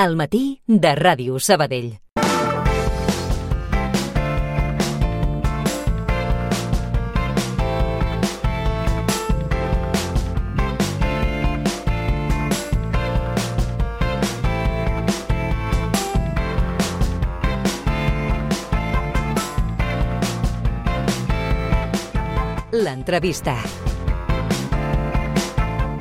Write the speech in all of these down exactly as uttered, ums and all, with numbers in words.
Al matí de Ràdio Sabadell. L'entrevista.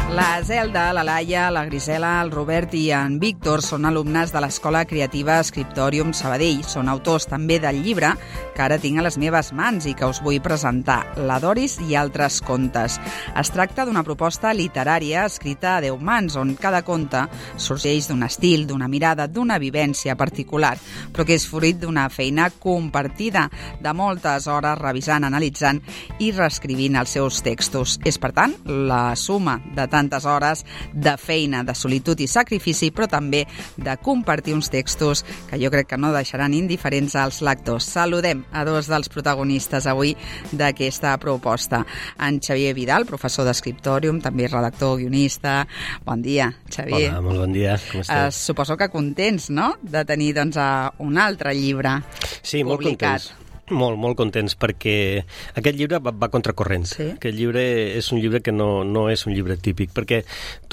La Zelda, la Laia, la Grisela, el Robert i en Víctor són alumnes de l'Escola Creativa Scriptorium Sabadell. Són autors també del llibre que ara tinc a les meves mans i que us vull presentar, La Doris i altres contes. Es tracta d'una proposta literària escrita a deu mans, on cada conte sorgeix d'un estil, d'una mirada, d'una vivència particular, però que és fruit d'una feina compartida de moltes hores revisant, analitzant i reescrivint els seus textos. És, per tant, la suma de tantes hores de feina, de solitud i sacrifici, però també de compartir uns textos que jo crec que no deixaran indiferents als lectors. Saludem a dos dels protagonistes avui d'aquesta proposta. En Xavier Vidal, professor d'Scriptorium, també redactor, guionista. Bon dia, Xavier. Hola, molt bon dia. Com esteu? Eh, suposo que contents, no?, de tenir doncs, un altre llibre sí, molt publicat. Contents. Molt, molt contents, perquè aquest llibre va, va contracorrent. Sí? Aquest llibre és un llibre que no, no és un llibre típic, perquè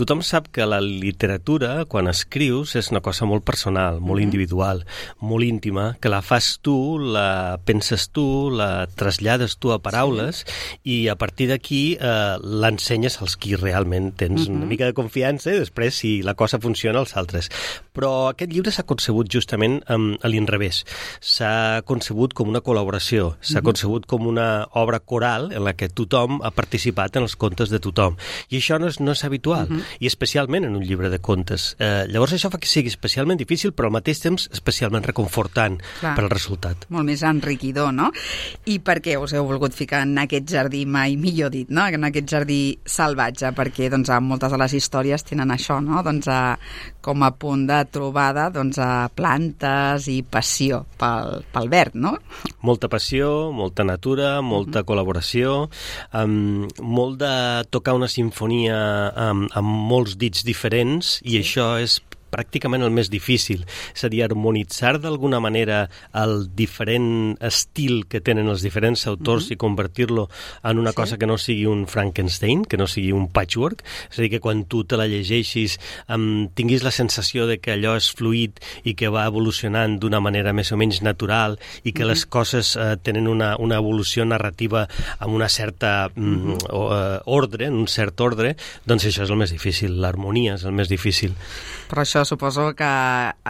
tothom sap que la literatura, quan escrius, és una cosa molt personal, molt mm-hmm. individual, molt íntima, que la fas tu, la penses tu, la trasllades tu a paraules, sí. i a partir d'aquí eh, l'ensenyes als qui realment tens mm-hmm. una mica de confiança i després, si la cosa funciona, als altres. Però aquest llibre s'ha concebut justament um, a l'inrevés. S'ha concebut com una col·laboració S'ha mm-hmm. concebut com una obra coral en la que tothom ha participat en els contes de tothom. I això no és, no és habitual, mm-hmm. i especialment en un llibre de contes. Eh, llavors això fa que sigui especialment difícil, però al mateix temps especialment reconfortant Clar. Per al resultat. Molt més enriquidor, no? I per què us heu volgut ficar en aquest jardí, mai millor dit, no? En aquest jardí salvatge? Perquè doncs, moltes de les històries tenen això, no? Doncs, a, com a punt de trobada doncs, a plantes i passió pel, pel verd, no? Molta passió, molta natura, molta uh-huh. col·laboració, um, molt de tocar una sinfonia um, amb molts dits diferents, i això és pràcticament el més difícil, és a dir, harmonitzar d'alguna manera el diferent estil que tenen els diferents autors mm-hmm. i convertir-lo en una sí. cosa que no sigui un Frankenstein, que no sigui un patchwork, és a dir, que quan tu te la llegeixis um, tinguis la sensació de que allò és fluid i que va evolucionant d'una manera més o menys natural i que mm-hmm. les coses uh, tenen una, una evolució narrativa amb una certa um, mm-hmm. ordre, en un cert ordre, doncs això és el més difícil, l'harmonia és el més difícil. Però això suposo que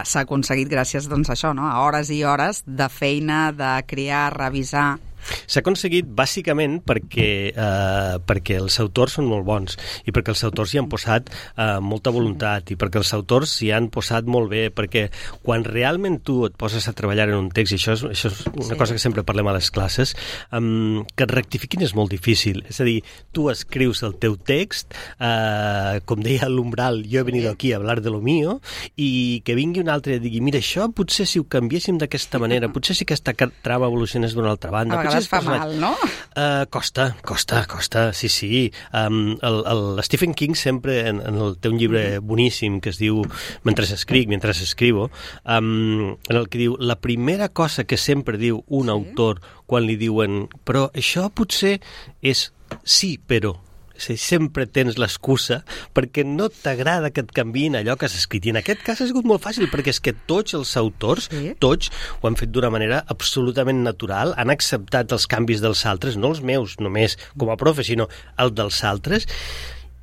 s'ha aconseguit gràcies doncs, a això, no? A hores i hores de feina, de crear, revisar. S'ha aconseguit bàsicament perquè, eh, perquè els autors són molt bons i perquè els autors hi han posat eh, molta voluntat i perquè els autors hi han posat molt bé, perquè quan realment tu et poses a treballar en un text, i això és, això és una sí. cosa que sempre parlem a les classes, um, que et rectifiquin és molt difícil. És a dir, tu escrius el teu text, eh, com deia l'Umbral, jo he venido aquí a hablar de lo mío, i que vingui un altre i digui, mira, això potser si ho canviéssim d'aquesta manera, potser si aquesta trama evolucionés d'una altra banda, a vegades fa mal, no? Uh, costa, costa, costa, sí, sí. Um, el, el Stephen King sempre, en, en el, té un llibre boníssim que es diu Mentre escric, mentre escribo, um, en el que diu, la primera cosa que sempre diu un sí. autor quan li diuen, però això potser és sí, però... sempre tens l'excusa perquè no t'agrada que et canviïn allò que has escrit. I en aquest cas ha sigut molt fàcil, perquè és que tots els autors, sí. tots, ho han fet d'una manera absolutament natural, han acceptat els canvis dels altres, no els meus només com a profe, sinó els dels altres,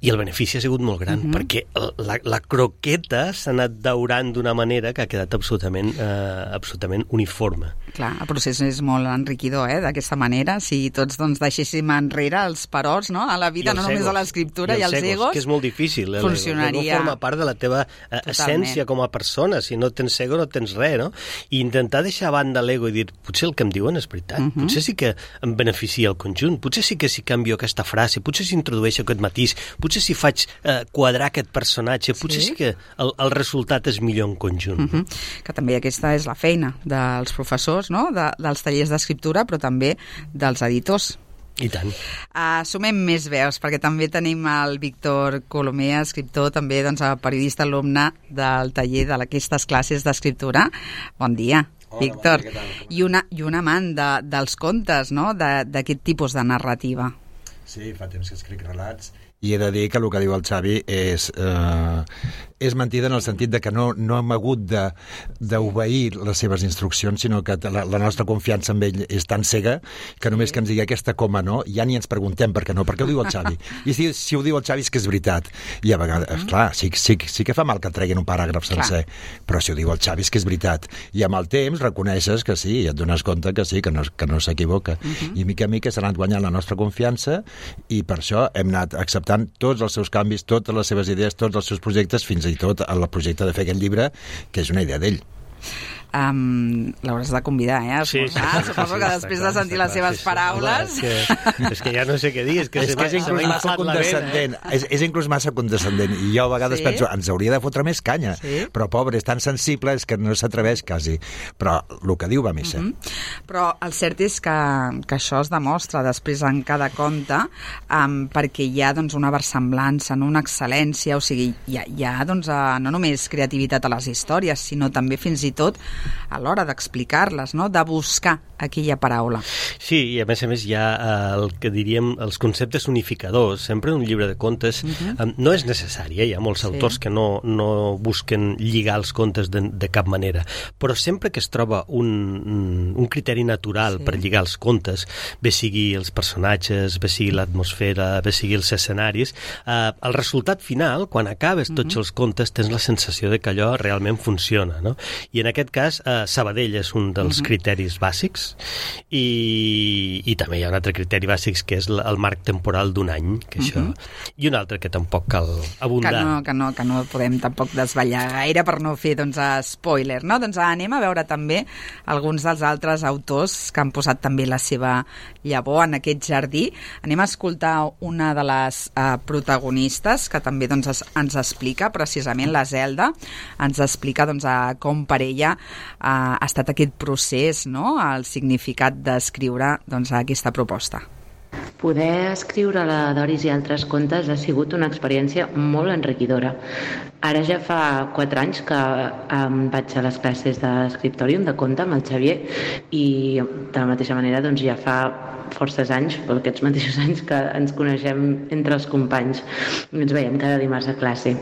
i el benefici ha sigut molt gran, uh-huh. perquè la, la croqueta s'ha anat daurant d'una manera que ha quedat absolutament, eh, absolutament uniforme. Clar, el procés és molt enriquidor, eh, d'aquesta manera. Si tots doncs, deixéssim enrere els perots, no?, a la vida, no només egos, a l'escriptura i, i els egos, egos, que és molt difícil. Funcionaria. No forma part de la teva eh, essència com a persona. Si no tens ego, no tens res, no? I intentar deixar a banda l'ego i dir, potser el que em diuen és veritat, uh-huh. potser sí que em beneficia el conjunt, potser sí que si canvio aquesta frase, potser si introdueixo aquest matís, potser si faig eh, quadrar aquest personatge, potser sí, sí que el, el resultat és millor en conjunt. Uh-huh. Que també aquesta és la feina dels professors, no?, de, dels tallers d'escriptura, però també dels editors. I tant. Uh, sumem més veus, perquè també tenim el Víctor Colomer, escriptor, també doncs, periodista, alumne del taller d'aquestes classes d'escriptura. Bon dia. Hola, Víctor. Bon dia, què tal? I, una, i un amant de, dels contes, no?, d'aquest tipus de narrativa. Sí, fa temps que escric relats i he de dir que el que diu el Xavi és, eh, és mentida en el sentit de que no, no hem hagut d'obeir les seves instruccions, sinó que la, la nostra confiança en ell és tan cega que només que ens digui aquesta coma no, ja ni ens preguntem per què no, perquè ho diu el Xavi. I si, si ho diu el Xavi és que és veritat. I a vegades, mm. clar, sí, sí, sí que fa mal que et treguin un paràgraf sencer, clar. Però si ho diu el Xavi és que és veritat. I amb el temps reconeixes que sí, i et dones compte que sí, que no, que no s'equivoca. Mm-hmm. I mica a mica s'ha anat guanyant la nostra confiança i per això hem anat acceptant tots els seus canvis, totes les seves idees, tots els seus projectes, fins i tot el projecte de fer aquest llibre, que és una idea d'ell. Um, l'hauràs de convidar, eh? Sí, sí, suposo sí, que després de sentir les seves paraules... Sí, sí. És que ja no sé què dir, és que, és, que és inclús massa condescendent, eh? és, és inclús massa condescendent, i jo a vegades sí? penso, ens hauria de fotre més canya, sí? Però pobre, és tan sensible, és que no s'atreveix quasi, però el que diu va a missa. Mm-hmm. Però el cert és que, que això es demostra després en cada conte, um, perquè hi ha doncs, una versemblança, no? Una excel·lència, o sigui, hi ha, hi ha doncs, uh, no només creativitat a les històries, sinó també fins i tot a l'hora d'explicar-les, no?, de buscar aquella paraula. Sí, i a més a més hi ha el que diríem els conceptes unificadors. Sempre un llibre de contes uh-huh. no és necessari, eh? Hi ha molts sí. autors que no, no busquen lligar els contes de, de cap manera, però sempre que es troba un, un criteri natural sí. per lligar els contes, bé sigui els personatges, bé sigui l'atmosfera, bé sigui els escenaris, eh, el resultat final, quan acabes uh-huh. tots els contes, tens la sensació de que allò realment funciona, no? I en aquest cas, eh, Sabadell és un dels uh-huh. criteris bàsics, i, i també hi ha un altre criteri bàsic que és el marc temporal d'un any, que això, uh-huh. i un altre que tampoc cal abundar. Que no, que no, que no podem tampoc desvetllar gaire per no fer doncs, spoiler, no? Doncs anem a veure també alguns dels altres autors que han posat també la seva llavor en aquest jardí. Anem a escoltar una de les uh, protagonistes que també doncs, es, ens explica precisament la Zelda, ens explica doncs, a com per ella uh, ha estat aquest procés, no?, el significat d'escriure doncs, aquesta proposta. Poder escriure la Doris i altres contes ha sigut una experiència molt enriquidora. Ara ja fa quatre anys que um, vaig a les classes d'escriptòrium de conte amb el Xavier i de la mateixa manera doncs, ja fa forces anys, per aquests mateixos anys que ens coneixem entre els companys. Ens veiem cada dimarts a classe.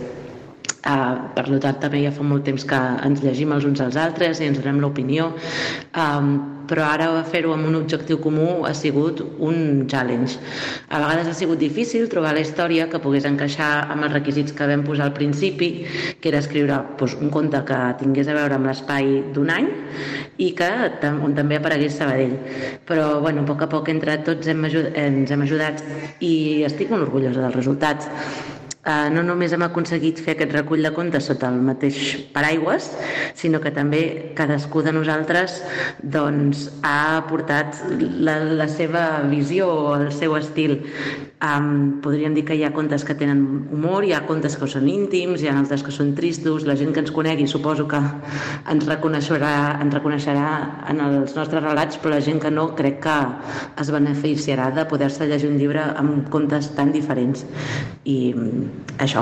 Uh, per tant, també ja fa molt temps que ens llegim els uns als altres i ens donem l'opinió, um, però ara fer-ho amb un objectiu comú ha sigut un challenge. A vegades ha sigut difícil trobar la història que pogués encaixar amb els requisits que vam posar al principi, que era escriure doncs, un conte que tingués a veure amb l'espai d'un any i que on també aparegués Sabadell. Però bueno, a poc a poc entre tots hem ajud- ens hem ajudat i estic molt orgullosa del resultat. Uh, no només hem aconseguit fer aquest recull de contes sota el mateix paraigües, sinó que també cadascú de nosaltres doncs, ha aportat la, la seva visió o el seu estil. Um, podríem dir que hi ha contes que tenen humor, hi ha contes que són íntims, hi ha altres que són tristos. La gent que ens conegui suposo que ens reconeixerà, ens reconeixerà en els nostres relats, però la gent que no crec que es beneficiarà de poder-se llegir un llibre amb contes tan diferents. I això,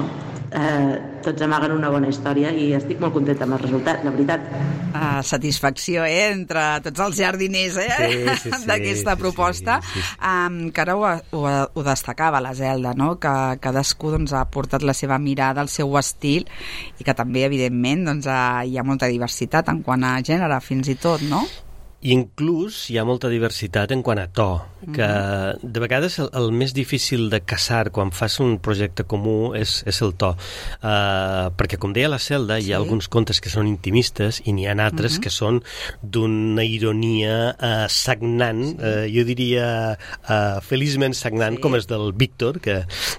eh, tots amaguen una bona història i estic molt contenta amb el resultat, la veritat. Uh, satisfacció, eh?, entre tots els jardiners, eh?, sí, sí, sí, d'aquesta sí, proposta. Sí, sí, sí. Um, que ara ho, ho, ho destacava la Zelda, no?, que cadascú doncs, ha portat la seva mirada, el seu estil, i que també, evidentment, doncs, uh, hi ha molta diversitat en quant a gènere, fins i tot, no? I inclús hi ha molta diversitat en quant a to, que de vegades el, el més difícil de caçar quan fas un projecte comú és, és el to. Uh, perquè, com deia la Zelda, sí. hi ha alguns contes que són intimistes i n'hi ha altres uh-huh. que són d'una ironia uh, sagnant, sí. uh, jo diria uh, feliçment sagnant, sí. com és del Víctor, que,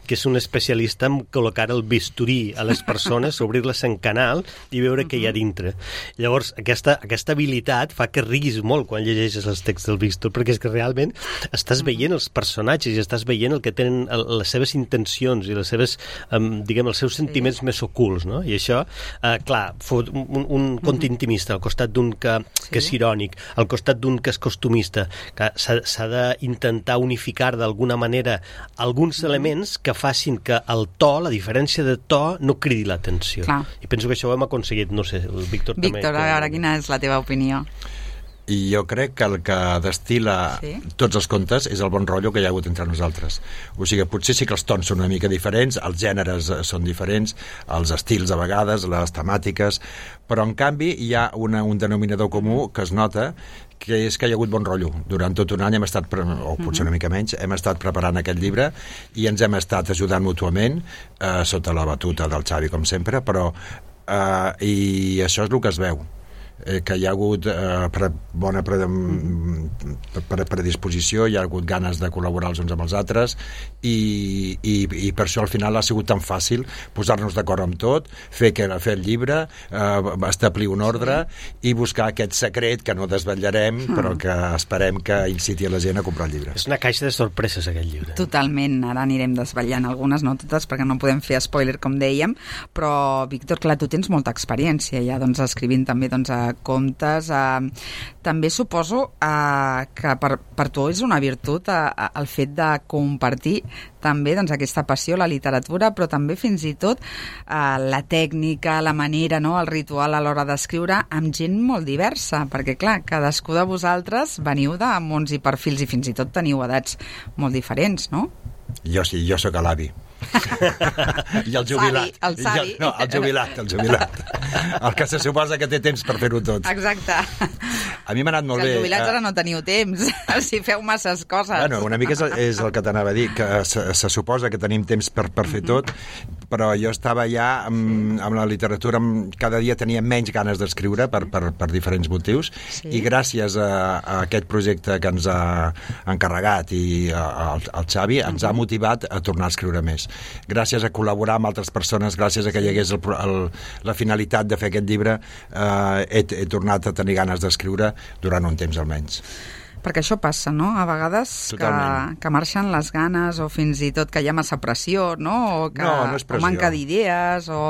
que és un especialista en col·locar el bisturí a les persones, obrir-les en canal i veure uh-huh. què hi ha dintre. Llavors, aquesta, aquesta habilitat fa que riguis molt molt quan llegeixes els texts del Víctor, perquè és que realment estàs veient els personatges i estàs veient el que tenen les seves intencions i les seves, um, diguem, els seus sentiments sí. més ocults, no? I això, uh, clar, un, un conte intimista al costat d'un que, sí. que és irònic, al costat d'un que és costumista, que s'ha d'intentar unificar d'alguna manera alguns elements que facin que el to, la diferència de to, no cridi l'atenció. I penso que això ho hem aconseguit, no sé, el Víctor, Víctor també. Víctor, ara quina és la teva opinió? I jo crec que el que destila sí? tots els contes és el bon rotllo que hi ha hagut entre nosaltres. O sigui, potser sí que els tons són una mica diferents, els gèneres són diferents, els estils a vegades, les temàtiques, però en canvi hi ha una, un denominador comú que es nota, que és que hi ha hagut bon rotllo. Durant tot un any hem estat, o potser una mica menys, hem estat preparant aquest llibre i ens hem estat ajudant mútuament, eh, sota la batuta del Xavi, com sempre, però eh, i això és el que es veu. Eh, que hi ha hagut eh, pre, bona pre, pre, predisposició, hi ha hagut ganes de col·laborar els uns amb els altres i, i, i per això al final ha sigut tan fàcil posar-nos d'acord amb tot, fer, que, fer el llibre, eh, establir un ordre i buscar aquest secret que no desvetllarem mm. però que esperem que inciti a la gent a comprar el llibre. És una caixa de sorpreses aquest llibre. Totalment, ara anirem desvetllant algunes, no totes, perquè no podem fer spoiler com dèiem, però Víctor, clar, tu tens molta experiència ja doncs, escrivint també doncs, a contes, eh, també suposo eh, que per, per tu és una virtut eh, el fet de compartir també doncs, aquesta passió, la literatura, però també fins i tot eh, la tècnica, la manera, no, el ritual a l'hora d'escriure amb gent molt diversa, perquè clar, cadascú de vosaltres veniu de mons i perfils i fins i tot teniu edats molt diferents, no? Jo sí, jo sóc l'avi. I el jubilat. El savi. No, el jubilat, el jubilat. El que se suposa que té temps per fer-ho tot. Exacte. A mi m'ha anat molt bé. bé. Els jubilats ara no teniu temps, si feu masses coses. Bueno, una mica és, és el que t'anava a dir, que se, se suposa que tenim temps per, per fer tot, però jo estava ja amb, amb la literatura, amb, cada dia tenia menys ganes d'escriure per, per, per diferents motius, sí. I gràcies a, a aquest projecte que ens ha encarregat i al Xavi, ens ha motivat a tornar a escriure més. Gràcies a col·laborar amb altres persones, gràcies a que hi hagués el, el, la finalitat de fer aquest llibre, eh, he, he tornat a tenir ganes d'escriure durant un temps almenys. Perquè això passa, no? A vegades que, que marxen les ganes o fins i tot que hi ha massa pressió, no? O que no, no és pressió. O manca d'idees o...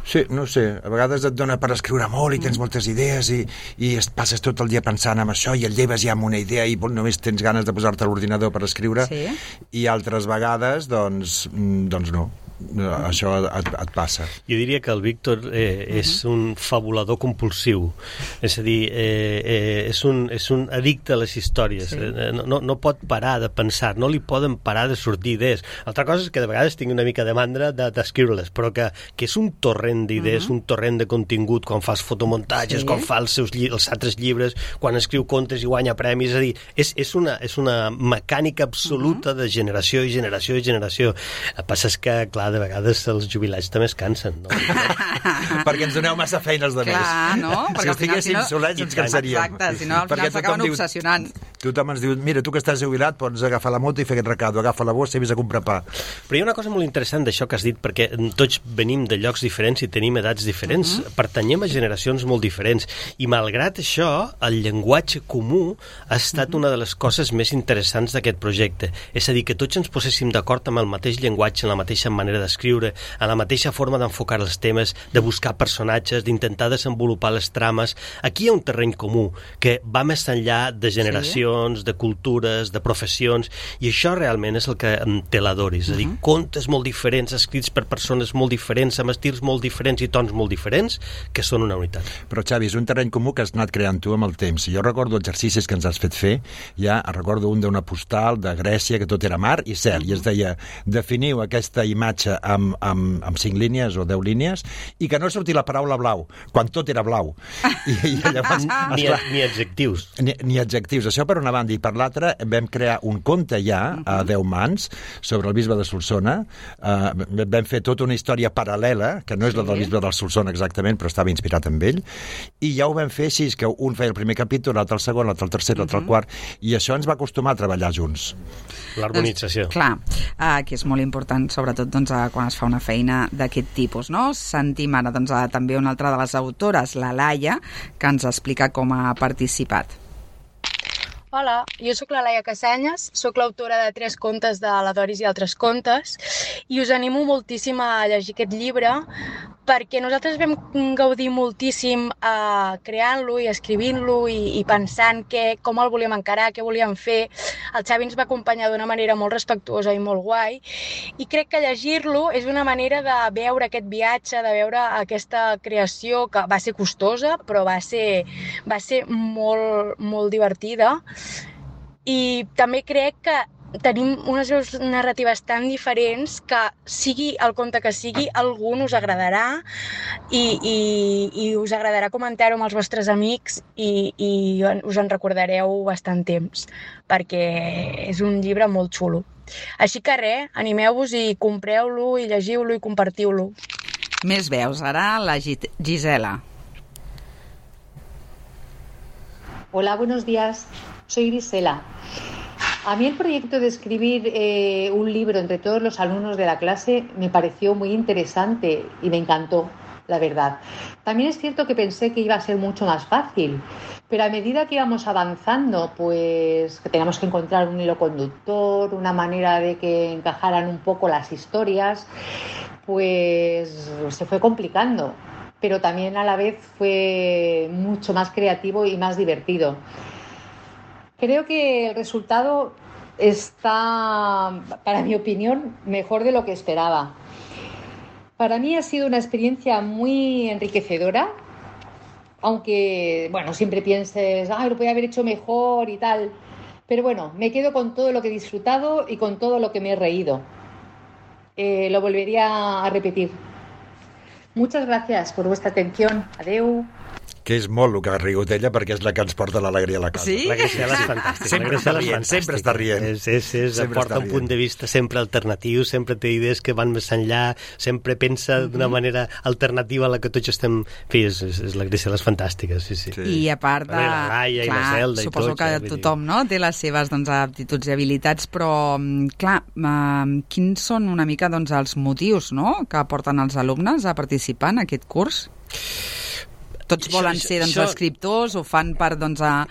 Sí, no sé, a vegades et dona per escriure molt i tens moltes idees i, i passes tot el dia pensant en això i et lleves ja amb una idea i només tens ganes de posar-te a l'ordinador per escriure, sí. I altres vegades, doncs, doncs no. Això et, et passa. Jo diria que el Víctor eh, és uh-huh. un fabulador compulsiu, és a dir, eh, eh, és, un, és un addicte a les històries, sí. eh, no, no pot parar de pensar, no li poden parar de sortir idees. Altra cosa és que de vegades tinc una mica de mandra d'escriure-les, però que, que és un torrent d'idees, uh-huh. un torrent de contingut, quan fa els fotomuntatges, sí. quan fa els seus els altres llibres, quan escriu contes i guanya premis, és a dir, és, és, una, és una mecànica absoluta uh-huh. de generació i generació i generació. El que passa és que, clar, de vegades els jubilats també es cansen, no? Perquè ens doneu massa feines de més. Clar, no? Si estiguéssim si no... solets ens cansaríem. Exacte, si no al final s'acaben obsessionant. Tothom ens diu, mira, tu que estàs jubilat pots agafar la moto i fer aquest recado, agafa la bossa i vés a comprar pa. Però hi ha una cosa molt interessant d'això que has dit, perquè tots venim de llocs diferents i tenim edats diferents, uh-huh. pertanyem a generacions molt diferents, i malgrat això, el llenguatge comú ha estat uh-huh. una de les coses més interessants d'aquest projecte. És a dir, que tots ens poséssim d'acord amb el mateix llenguatge, en la mateixa manera d'escriure, en la mateixa forma d'enfocar els temes, de buscar personatges, d'intentar desenvolupar les trames. Aquí hi ha un terreny comú que va més enllà de generacions, sí. de cultures, de professions, i això realment és el que té la Doris, és a dir, uh-huh. contes molt diferents, escrits per persones molt diferents, amb estils molt diferents i tons molt diferents, que són una unitat. Però, Xavi, és un terreny comú que has anat creant tu amb el temps. Jo recordo exercicis que ens has fet fer, ja recordo un d'una postal de Grècia, que tot era mar i cel, uh-huh. i es deia, definiu aquesta imatge amb, amb, amb cinc línies o deu línies, i que no surti la paraula blau, quan tot era blau. I, i llavors, ni, esclar, ni adjectius. Ni, ni adjectius. Això per una banda, i per l'altra vam crear un conte ja a deu mans sobre el bisbe de Solsona. Uh, vam fer tota una història paral·lela, que no és la del bisbe de Solsona exactament, però estava inspirat en ell, i ja ho vam fer així, que un feia el primer capítol, l'altre el segon, l'altre el tercer, l'altre el quart, i això ens va acostumar a treballar junts. L'harmonització. Doncs, clar, uh, que és molt important, sobretot doncs, uh, quan es fa una feina d'aquest tipus, no? Sentim ara doncs, uh, també una altra de les autores, la Laia, que ens explica com ha participat. Hola, jo sóc la Laia Casanyes, sóc l'autora de tres contes de la Doris i altres contes i us animo moltíssim a llegir aquest llibre perquè nosaltres vam gaudir moltíssim eh, creant-lo i escrivint-lo i, i pensant que, com el volíem encarar, què volíem fer. El Xavi ens va acompanyar d'una manera molt respectuosa i molt guai i crec que llegir-lo és una manera de veure aquest viatge, de veure aquesta creació que va ser costosa però va ser, va ser molt, molt divertida. I també crec que tenim unes veus narratives tan diferents que sigui el conte que sigui, algú us agradarà i, i, i us agradarà comentar-ho amb els vostres amics i, i us en recordareu bastant temps, perquè és un llibre molt xulo. Així que res, animeu-vos i compreu-lo i llegiu-lo i compartiu-lo. Més veus, ara la Gisela. Hola, buenos días. Soy Grisela. A mí el proyecto de escribir eh, un libro entre todos los alumnos de la clase me pareció muy interesante y me encantó, la verdad. También es cierto que pensé que iba a ser mucho más fácil, pero a medida que íbamos avanzando, pues que teníamos que encontrar un hilo conductor, una manera de que encajaran un poco las historias, pues se fue complicando, pero también a la vez fue mucho más creativo y más divertido. Creo que el resultado está, para mi opinión, mejor de lo que esperaba. Para mí ha sido una experiencia muy enriquecedora, aunque, bueno, siempre pienses, ay, lo podía haber hecho mejor y tal, pero bueno, me quedo con todo lo que he disfrutado y con todo lo que me he reído. Eh, lo volvería a repetir. Muchas gracias por vuestra atención. Adeu. Que és molt el que ha rigut ella, perquè és la que ens porta l'alegria a la casa. Sí? La Graciela és fantàstica. Sempre està rient, sempre està rient. És, és, és, aporta un punt de vista sempre alternatiu, sempre té idees que van més enllà, sempre pensa d'una mm-hmm. manera alternativa a la que tots estem... En fi, és, és, la Graciela és fantàstica, sí, sí. sí. I a part de... La Laia i la Zelda i suposo tots, que eh, tothom no, té les seves doncs, aptituds i habilitats, però, clar, eh, quins són una mica doncs, els motius no, que porten els alumnes a participar en aquest curs? Tots això, volen ser doncs, això... escriptors, ho fan per, doncs, a, a,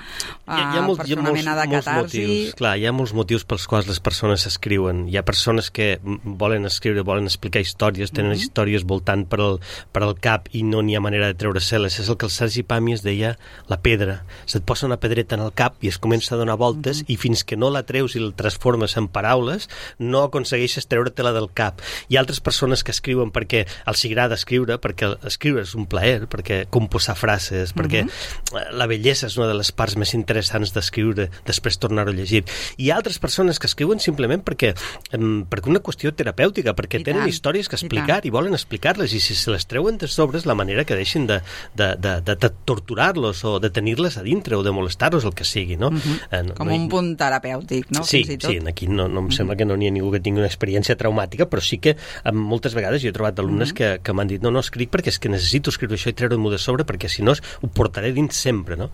hi ha, hi ha molt, per fer una mena de catarsi. Motius. Clar, hi ha molts motius pels quals les persones escriuen. Hi ha persones que volen escriure, volen explicar històries, tenen mm-hmm. històries voltant per al, per al cap i no n'hi ha manera de treure-se-les. És el que el Sergi Pàmies deia, la pedra. Se't posa una pedreta en el cap i es comença a donar voltes mm-hmm. i fins que no la treus i la transformes en paraules no aconsegueixes treure-te-la del cap. Hi ha altres persones que escriuen perquè els agrada escriure, perquè escriure és un plaer, perquè composar frases, perquè uh-huh. la bellesa és una de les parts més interessants d'escriure, després tornar-ho a llegir. Hi ha altres persones que escriuen simplement perquè, um, perquè una qüestió terapèutica, perquè I tenen tant. històries que explicar i, i volen explicar-les, i si se les treuen de sobre és la manera que deixin de, de, de, de, de torturar-los o de tenir-les a dintre o de molestar-los, el que sigui, no? Uh-huh. eh, no Com no hi... un punt terapèutic, no? Sí, Fins i tot. sí, aquí no, no em uh-huh. sembla que no n'hi ha ningú que tingui una experiència traumàtica, però sí que um, moltes vegades jo he trobat alumnes uh-huh. que, que m'han dit no, no escric perquè és que necessito escriure això i treure-m'ho de sobre, perquè si no ho portaré dins sempre, no?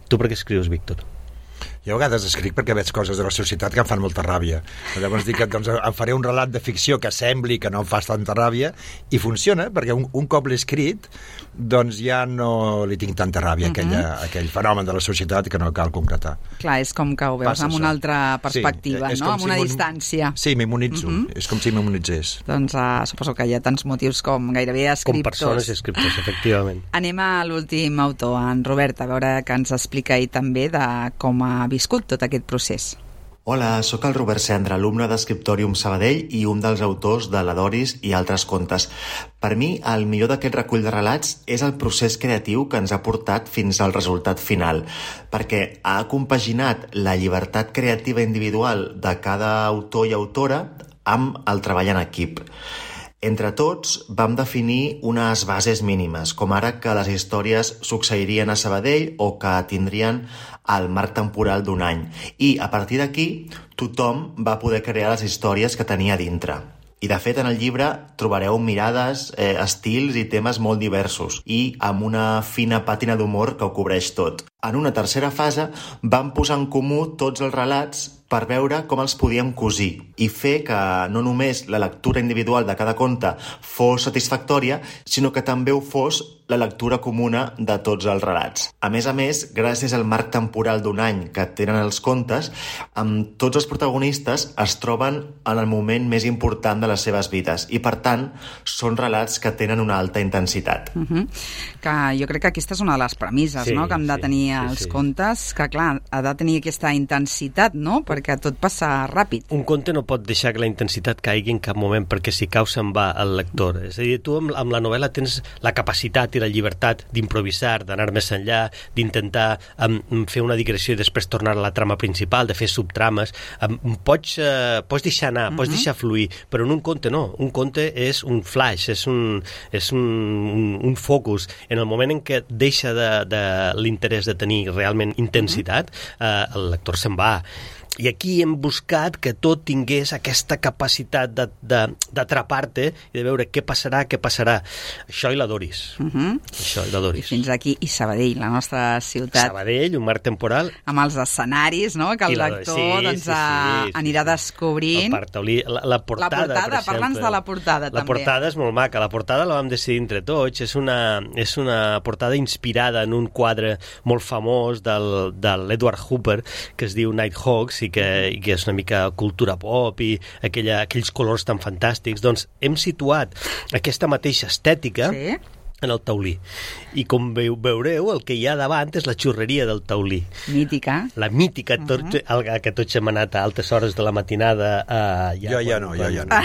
Tu per què escrius, Víctor? Jo a vegades escric perquè veig coses de la societat que em fan molta ràbia. Llavors dic que doncs, em faré un relat de ficció que sembli que no em fas tanta ràbia i funciona, perquè un, un cop l'he escrit doncs ja no li tinc tanta ràbia a uh-huh. aquella, aquell fenomen de la societat que no cal concretar. Clar, és com que ho veus Passa amb això. una altra perspectiva, sí, no? Amb si una mon... distància. Sí, m'immunitzo. Uh-huh. És com si m'immunitzés. Doncs uh, suposo que hi ha tants motius com gairebé escriptors. Com persones i escriptors, efectivament. Anem a l'últim autor, en Robert, a veure que ens explica ell també de com ha viscut tot aquest procés. Hola, sóc el Robert Cendra, alumne d'Escriptòrium Sabadell i un dels autors de La Doris i altres contes. Per mi, el millor d'aquest recull de relats és el procés creatiu que ens ha portat fins al resultat final, perquè ha compaginat la llibertat creativa individual de cada autor i autora amb el treball en equip. Entre tots vam definir unes bases mínimes, com ara que les històries succeirien a Sabadell o que tindrien el marc temporal d'un any. I a partir d'aquí tothom va poder crear les històries que tenia dintre. I de fet en el llibre trobareu mirades, eh, estils i temes molt diversos i amb una fina pàtina d'humor que ho cobreix tot. En una tercera fase vam posar en comú tots els relats per veure com els podíem cosir i fer que no només la lectura individual de cada conte fos satisfactòria, sinó que també ho fos la lectura comuna de tots els relats. A més a més, gràcies al marc temporal d'un any que tenen els contes, amb tots els protagonistes es troben en el moment més important de les seves vides i, per tant, són relats que tenen una alta intensitat. Uh-huh. Que jo crec que aquesta és una de les premisses, sí, no?, que han de tenir sí, els sí, sí. contes, que, clar, ha de tenir aquesta intensitat, no?, perquè tot passa ràpid. Un conte no pot deixar que la intensitat caigui en cap moment, perquè si cau se'n va el lector. És a dir, tu amb, amb la novel·la tens la capacitat i la llibertat d'improvisar, d'anar més enllà, d'intentar um, fer una digressió i després tornar a la trama principal, de fer subtrames. Um, pots, uh, pots deixar anar, uh-huh. pots deixar fluir, però en un conte no. Un conte és un flash, és un, és un, un, un focus. En el moment en què deixa de, de l'interès de tenir realment intensitat, uh-huh. uh, el lector se'n va. I aquí hem buscat que tot tingués aquesta capacitat d'atrapar-te i de veure què passarà, què passarà. Això i la Doris. Uh-huh. Això i la Doris. I fins aquí, i Sabadell, la nostra ciutat. Sabadell, un marc temporal. Amb els escenaris, no?, que el la... lector sí, doncs, sí, sí, anirà sí. descobrint. El Parc Taulí, la, la portada, la portada per parla'ns de la portada, la també. La portada és molt maca. La portada la vam decidir entre tots. És una, és una portada inspirada en un quadre molt famós del, de l'Edward Hooper, que es diu Nighthawks, i que, i que és una mica cultura pop i aquella, aquells colors tan fantàstics. Doncs hem situat aquesta mateixa estètica sí. en el Taulí. I com veu, veureu, el que hi ha davant és la xurreria del Taulí. Mítica. La mítica, tot, uh-huh. el, que tots hem anat a altes hores de la matinada. Uh, ja, jo ja no, jo ja no.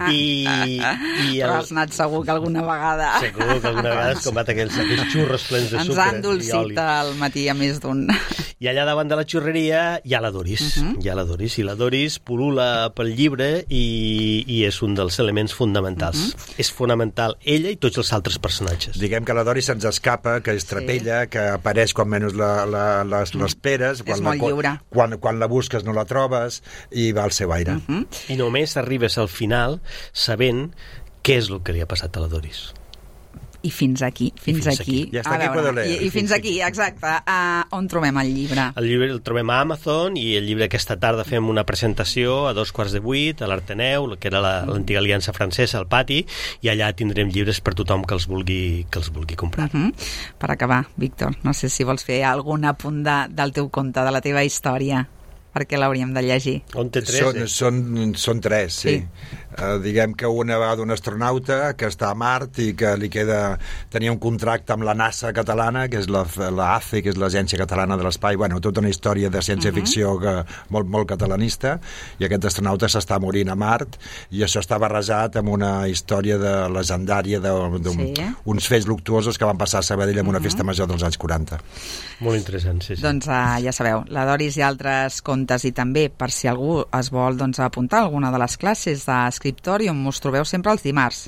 I, i el... Però has anat segur que alguna vegada. Segur que alguna vegada has combat aquells, aquells xurros plens de Ens sucre i oli. han dolcit al matí a més d'un. I allà davant de la xurreria hi ha la Doris. Uh-huh. Hi ha la Doris. I la Doris pul·lula pel llibre i, i és un dels elements fonamentals. Uh-huh. És fonamental ella i tots els altres personatges. Diguem que la Doris se'ns escapa, que és trapella, sí. que apareix quan menys la, la, les, l'esperes. És molt la, lliure. Quan, quan la busques no la trobes i va al seu aire. Uh-huh. I només arribes al final sabent què és el que li ha passat a la Doris. I fins aquí, fins, fins aquí. aquí. Ja està aquí, veure, I, I fins aquí, exacte. Uh, on trobem el llibre? El llibre el trobem a Amazon i el llibre aquesta tarda fem una presentació a dos quarts de vuit a l'Arteneu, que era la, l'antiga aliança francesa, al pati, i allà tindrem llibres per tothom que els vulgui, que els vulgui comprar. Uh-huh. Per acabar, Víctor, no sé si vols fer algun apunt de, del teu conte, de la teva història, perquè l'hauríem de llegir. On té tres? Són, són, són tres, sí. sí. Uh, diguem que una va d'un astronauta que està a Mart i que li queda... Tenia un contracte amb la NASA catalana, que és la, la A C E, que és l'Agència Catalana de l'Espai. Bueno, tota una història de ciència-ficció uh-huh. que, molt, molt catalanista, i aquest astronauta s'està morint a Mart, i això està barrejat amb una història de legendària d'uns sí. fets luctuosos que van passar a Sabadell en una uh-huh. festa major dels anys quaranta. Molt interessant, sí, sí. Doncs uh, ja sabeu, la Doris i altres contes, i també, per si algú es vol doncs, apuntar a alguna de les classes d'Scriptorium, us trobeu sempre els dimarts.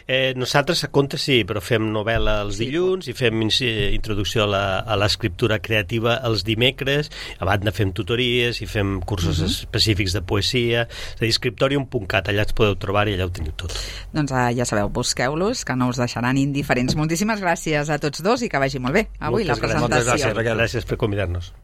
Eh, nosaltres a contes sí, però fem novel·la els sí. dilluns i fem introducció a, la, a l'escriptura creativa els dimecres, a banda fem tutories i fem cursos uh-huh. específics de poesia, és a dir, scriptorium punt cat, allà ens podeu trobar i allà ho teniu tot. Doncs uh, ja sabeu, busqueu-los, que no us deixaran indiferents. Moltíssimes gràcies a tots dos i que vagi molt bé avui Moltes la presentació. Moltes gràcies, gràcies per convidar-nos.